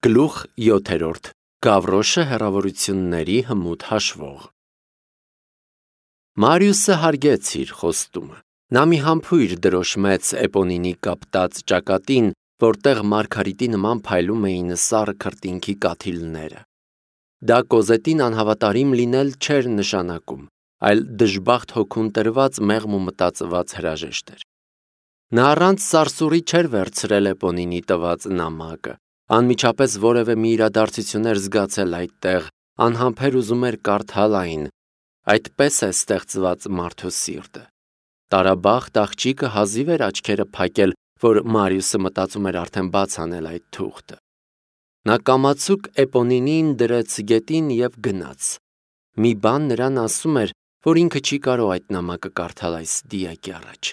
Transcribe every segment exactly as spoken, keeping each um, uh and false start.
Գլուխ յոթերորդ. Գավրոշը հեռավորությունների հմուտ հաշվող։ Մարիուսը հարգեց իր խոստումը։ Նա մի համբույր դրոշմեց Էպոնինի կապտած ճակատին, որտեղ մարգարիտի նման փայլում էին սառը քրտինքի կաթիլները։ Դա Կոզետին անհավատարիմ լինել չէր նշանակում, այլ դժբախտ հոգուն տրված մեղմ ու մտածված հրաժեշտ էր։ Նա առանց սարսուռի չէր վերցրել Էպոնինի տված նամակը, անմիջապես որևէ մի իրադարձություն էր զգացել այդտեղ, անհամբեր ուզում էր կարդալ այն։ Այդպես է ստեղծված մարդու սիրտը։ Տարաբախտ աղջիկը հազիվ էր աչքերը փակել, որ Մարիուսը մտածում էր արդեն բաց անել այդ թուղթը։ Նա կամացուկ Էպոնինին դրեց գետին և գնաց։ Մի բան նրան ասում էր, որ ինքը չի կարող այդ նամակը կարդալ այս դիակի առաջ։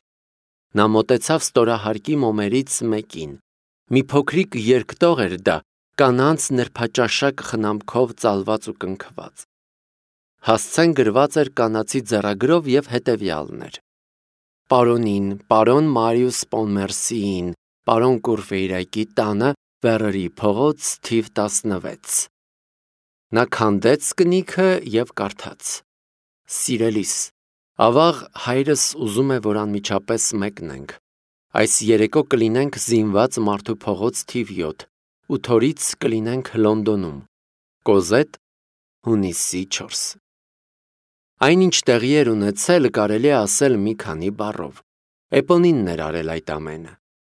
Նա մոտեցավ ստորահարկի մոմերից մեկին։ Մի փոքրիկ երկտող էր դա, կանանց նրբաճաշակ խնամքով ծալված ու կնքված։ Հասցեն գրված էր կանացի ձեռագրով և հետևյալն էր. Պարոնին, պարոն Մարիուս Պոնմերսիին, պարոն Կուրֆեյրակի տանը, Վերերի փողոց, թիվ տասնվեց։ Նա քանդեց կնիքը և կարդաց. Սիրելիս, ավաղ հայրս ուզում է, որ անմիջապես մեկնենք։ Այս երեկո կլինենք Զինված մարդու փողոց թիվ յոթ, ութ օրից կլինենք Լոնդոնում։ Կոզետ, հունիսի չորս։ Այնինչ տեղի էր ունեցել, կարելի է ասել մի քանի բառով։ Էպոնինն էր արել այդ ամենը։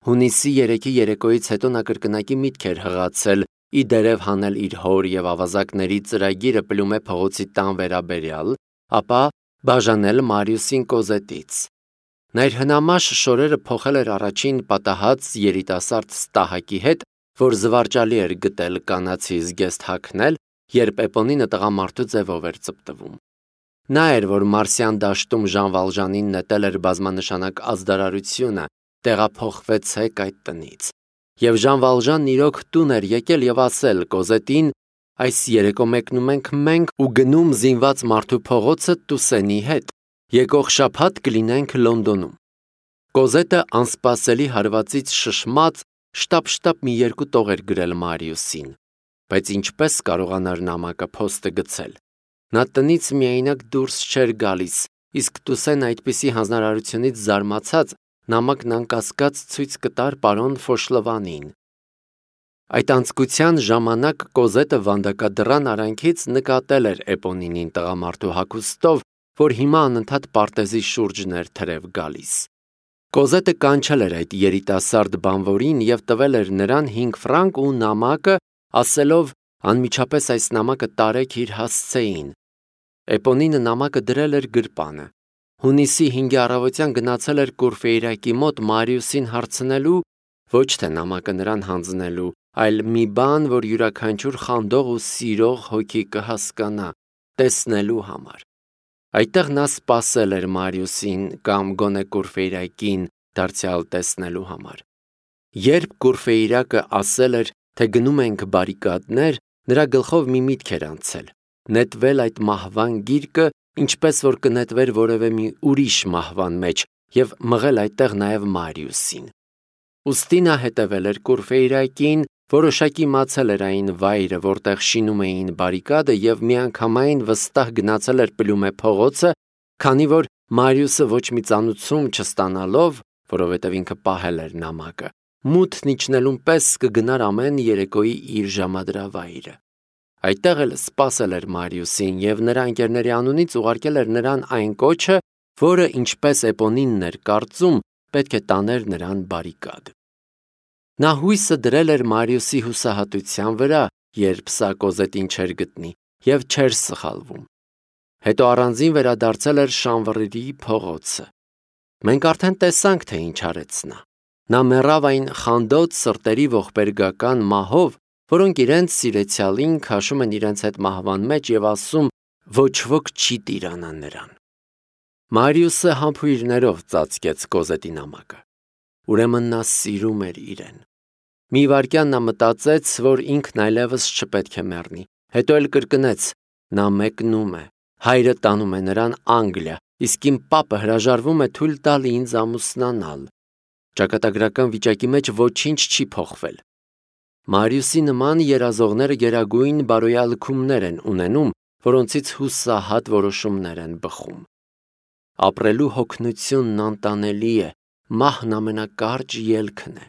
Հունիսի երեքի երեկոյից հետո նա կրկնակի միտք էր հղացել ի դերև հանել իր հոր և ավազակների ծրագիրը Պլումե փողոցի տան վերաբերյալ, ապա բաժանել Մարիուսին Կոզետից։ Նա իր հնամաշ շորերը փոխել էր առաջին պատահած երիտասարդ ստահակի հետ, որ զվարճալի էր գտել կանացի զգեստ հագնել, երբ Էպոնինը տղամարդու ձևով էր ծպտվում։ Նա էր, որ Մարսյան դաշտում Ժան Վալժանին նետել էր բազմանշանակ ազդարարությունը, տեղափոխվեցեք այդ տնից։ Եվ Ժան Վալժանն իրոք տուն էր եկել և ասել Կոզետին. այս երեկո մեկնում ենք մենք ու գնում Զինված մարդու փողոցը Տուսենի հետ, եկող շաբաթ կլինենք Լոնդոնում։ Կոզետը անսպասելի հարվածից շշմած շտապ-շտապ մի երկու տող էր գրել Մարիուսին, բայց ինչպես կարողանար նամակը փոստը գցել։ Նա տնից միայնակ դուրս չէր գալիս, իսկ Տուսեն այդպիսի հանձնարարությունից զարմացած նամակն անկասկած ցույց կտար պարոն Ֆոշլվանին։ Այդ անձկության ժամանակ Կոզետը վանդակադռան արանքից նկատել էր Էպոնինին տղամարդու հագուստով, որ հիմա անընդհատ պարտեզի շուրջն էր թրև գալիս։ Կոզետը կանչել էր այդ երիտասարդ բանվորին և տվել էր նրան հինգ ֆրանկ ու նամակը, ասելով անմիջապես այս նամակը տարեք իր հասցեին։ Էպոնինը նամակը դրել էր գրպանը։ Հունիսի հինգի առավոտյան գնացել էր Կուրֆեյրակի մոտ Մարիուսին հարցնելու, ոչ թե նամակը նրան հանձնելու, այլ մի բան, որ յուրաքանչյուր խանդող ու սիրող հոգի կհասկանա, տեսնելու համար։ Այդտեղ նա սպասել էր Մարիուսին կամ գոնե Կուրֆեյրակին դարձյալ տեսնելու համար։ Երբ Կուրֆեյրակը ասել էր, թե գնում ենք բարիկադներ, նրա գլխով մի միտք էր անցել՝ նետվել այդ մահվան գիրկը, ինչպես որ կնետվեր որևէ մի ուրիշ մահվան մեջ և մղել այդտեղ նաև Մարիուսին։ Ուստի նա հետևել էր Կուրֆեյրակին, որոշակի իմացել էր այն վայրը, որտեղ շինում էին բարիկադը և միանգամայն վստահ գնացել էր Պլումե փողոցը, քանի որ Մարիուսը ոչ մի ծանուցում չստանալով, որովհետև ինքը պահել էր նամակը, մութն իջնելուն պես կգնար ամեն երեկոյի իր ժամադրավայրը։ Այդտեղ էլ սպասել էր Մարիուսին և նրա ընկերների անունից ուղարկել էր նրան այն կոչը, որը, ինչպես Էպոնինն էր կարծում, պետք է տաներ նրան բարիկադ։ Նա հույսը դրել էր Մարիուսի հուսահատության վրա, երբ սա Կոզետին չէր գտնի և չէր սխալվում։ Հետո առանձին վերադարձել էր Շանվռերի փողոցը։ Մենք արդեն տեսանք, թե ինչ արեց նա։ Նա մեռավ այն խանդոտ սրտերի ողբերգական մահով, որոնք իրենց սիրեցյալին քաշում են իրենց հետ մահվան մեջ և ասում ոչ ոք չի տիրանա նրան։ Մարիուսը համբույրներով ծածկեց Կոզետի նամակը։ Ուրեմն նա սիրում էր իրեն։ Մի վայրկյան նա մտածեց, որ ինքն այլևս չպետք է մեռնի, հետո էլ կրկնեց. նա մեկնում է, հայրը տանում է նրան Անգլիա, իսկ իմ պապը հրաժարվում է թույլ տալ ինձ ամուսնանալ։ Ճակատագրական վիճակի մեջ ոչինչ չի փոխվել։ Մարիուսի նման երազողները գերագույն բարոյալքումներ են ունենում, որոնցից հուսահատ որոշումներ են բխում։ Ապրելու հոգնությունն անտանելի է, մահն ամենակարճ ելքն է։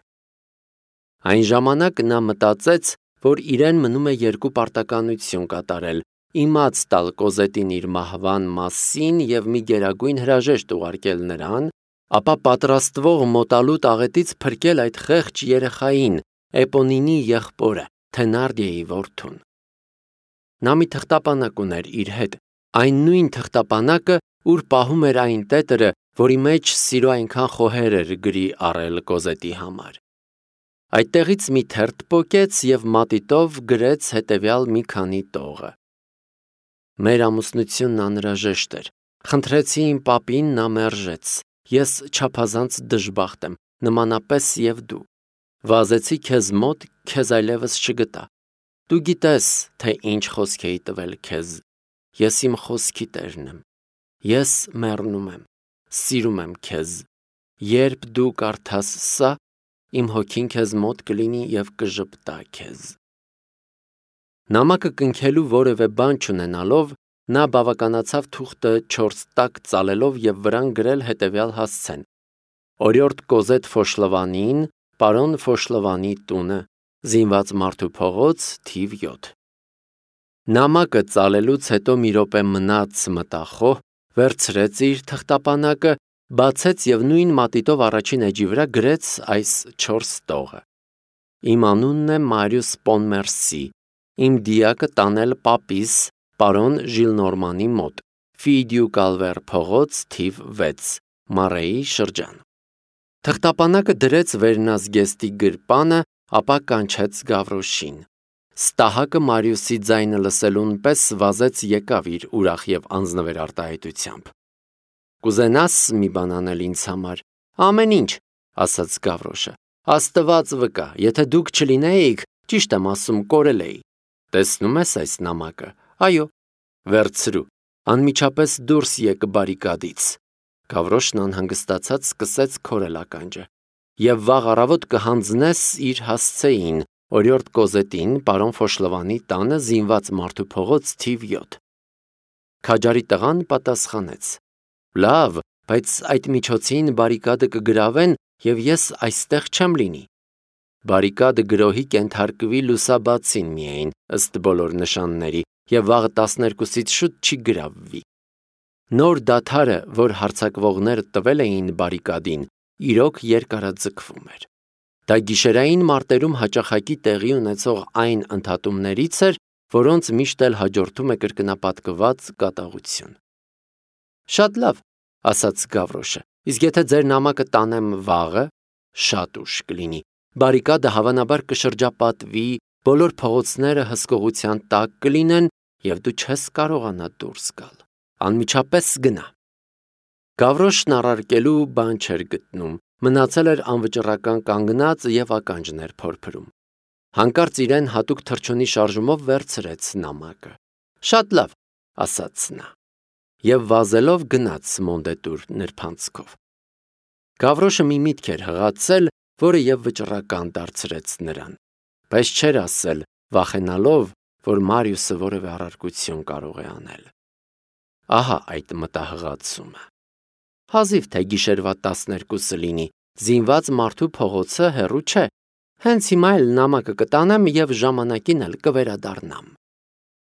Այն ժամանակ նա մտածեց, որ իրեն մնում է երկու պարտականություն կատարել՝ իմաց տալ Կոզետին իր մահվան մասին և մի գերագույն հրաժեշտ ուղարկել նրան, ապա պատրաստվող մոտալուտ աղետից փրկել այդ խեղճ երեխային, Էպոնինի եղբորը, Թենարդիեի որդուն։ Նա մի թղթապանակ ուներ իր հետ, այն նույն թղթապանակը, ուր պահում էր այն տետրը, որի մեջ սիրո այնքան խոհեր էր գրի առել Կոզետի համար։ Այդտեղից մի թերթ պոկեց և մատիտով գրեց հետևյալ մի քանի տողը. Մեր ամուսնությունն անհրաժեշտ էր։ Խնդրեցի իմ պապին, նա մերժեց։ Ես չափազանց դժբախտ եմ, նմանապես և դու։ Վազեցի քեզ մոտ, քեզ այլևս չգտա։ Դու գիտես, թե ինչ խոսք էի տվել քեզ։ Ես իմ խոսքի տերն եմ։ Ես մեռնում եմ, սիրում եմ քեզ։ Երբ դու կարդաս սա, իմ հոգին քեզ մոտ կլինի և կժպտա քեզ։ Նամակը կնքելու որևէ բան չունենալով, նա բավականացավ թուղթը չորս տակ ծալելով և վրան գրել հետևյալ հասցեն. Օրիորդ Կոզետ Ֆոշլովանին, պարոն Ֆոշլովանի տունը, Զինված մարդու փողոց, թիվ յոթ։ Նամակը ծալելուց հետո մի րոպե մնաց մտախոհ, վերցրեց իր թղթապանակը, բացեց և նույն մատիտով առաջին էջի վրա գրեց այս չորս տողը. Իմ անունն է Մարիուս Պոնմերսի, իմ դիակը տանել պապիս, պարոն Ժիլնորմանի մոտ, Ֆիդյու Կալվեր փողոց, թիվ վեց, Մարեի շրջան։ Թղթապանակը դրեց վերնազգեստի գրպանը, ապա կանչեց Գավրոշին։ Ստահակը Մարիուսի ձայնը լսելուն պես վազեց եկավ իր ուրախ և անձնվեր արտահայտությամբ։ Կուզենաս մի բան անել ինձ համար։ Ամեն ինչ, ասաց Գավրոշը։ Աստված վկա, եթե դուք չլինեիք, ճիշտ եմ ասում, կորել էի։ Տեսնում ես այս նամակը։ Այո։ Վերցրու, անմիջապես դուրս եկ բարիկադից։ Գավրոշն անհանգստացած սկսեց քորել ականջը։ Եվ վաղ առավոտ կհանձնես իր հասցեին, օրիորդ Կոզետին, պարոն Ֆոշլովանի տանը, Զինված մարդու փողոց, թիվ յոթ։ Քաջարի տղան պատասխանեց. Լավ, բայց այդ միջոցին բարիկադը կգրավեն, և ես այստեղ չեմ լինի։ Բարիկադը գրոհի կենթարկվի լուսաբացին միայն, ըստ բոլոր նշանների, և վաղը տասներկուսից շուտ չի գրավվի։ Նոր դադարը, որ հարձակվողները տվել էին բարիկադին, իրոք երկարաձգվում էր։ Դա գիշերային մարտերում հաճախակի տեղի ունեցող այն ընդհատումներից էր, որոնց միշտ էլ հաջորդում է կրկնապատկված կատաղություն։ Շատ լավ, ասաց Գավրոշը, իսկ եթե ձեր նամակը տանեմ վաղը, շատ ուշ կլինի, բարիկադը հավանաբար կշրջապատվի, բոլոր փողոցները հսկողության տակ կլինեն, և դու չես կարողանա դուրս գալ։ Անմիջապես գնա։ Գավրոշն առարկելու բան չէր գտնում, մնացել էր անվճռական կանգնած և ականջն էր փորփրում։ Հանկարծ իրեն հատուկ թռչունի շարժումով վերցրեց նամակը։ Շատ լավ, ասաց նա, և վազելով գնաց Մոնդետուր նրբանցքով։ Գավրոշը մի միտք էր հղացել, որը և վճռական դարձրեց նրան, բայց չէր ասել, վախենալով, որ Մարիուսը որևէ առարկություն կարող է անել։ Ահա այդ մտահղացումը։ Հազիվ թե գիշերվա տասներկուսը լինի, Զինված մարդու փողոցը հեռու չէ։ Հենց հիմա էլ նամակը կտանեմ և ժամանակին էլ կվերադառնամ։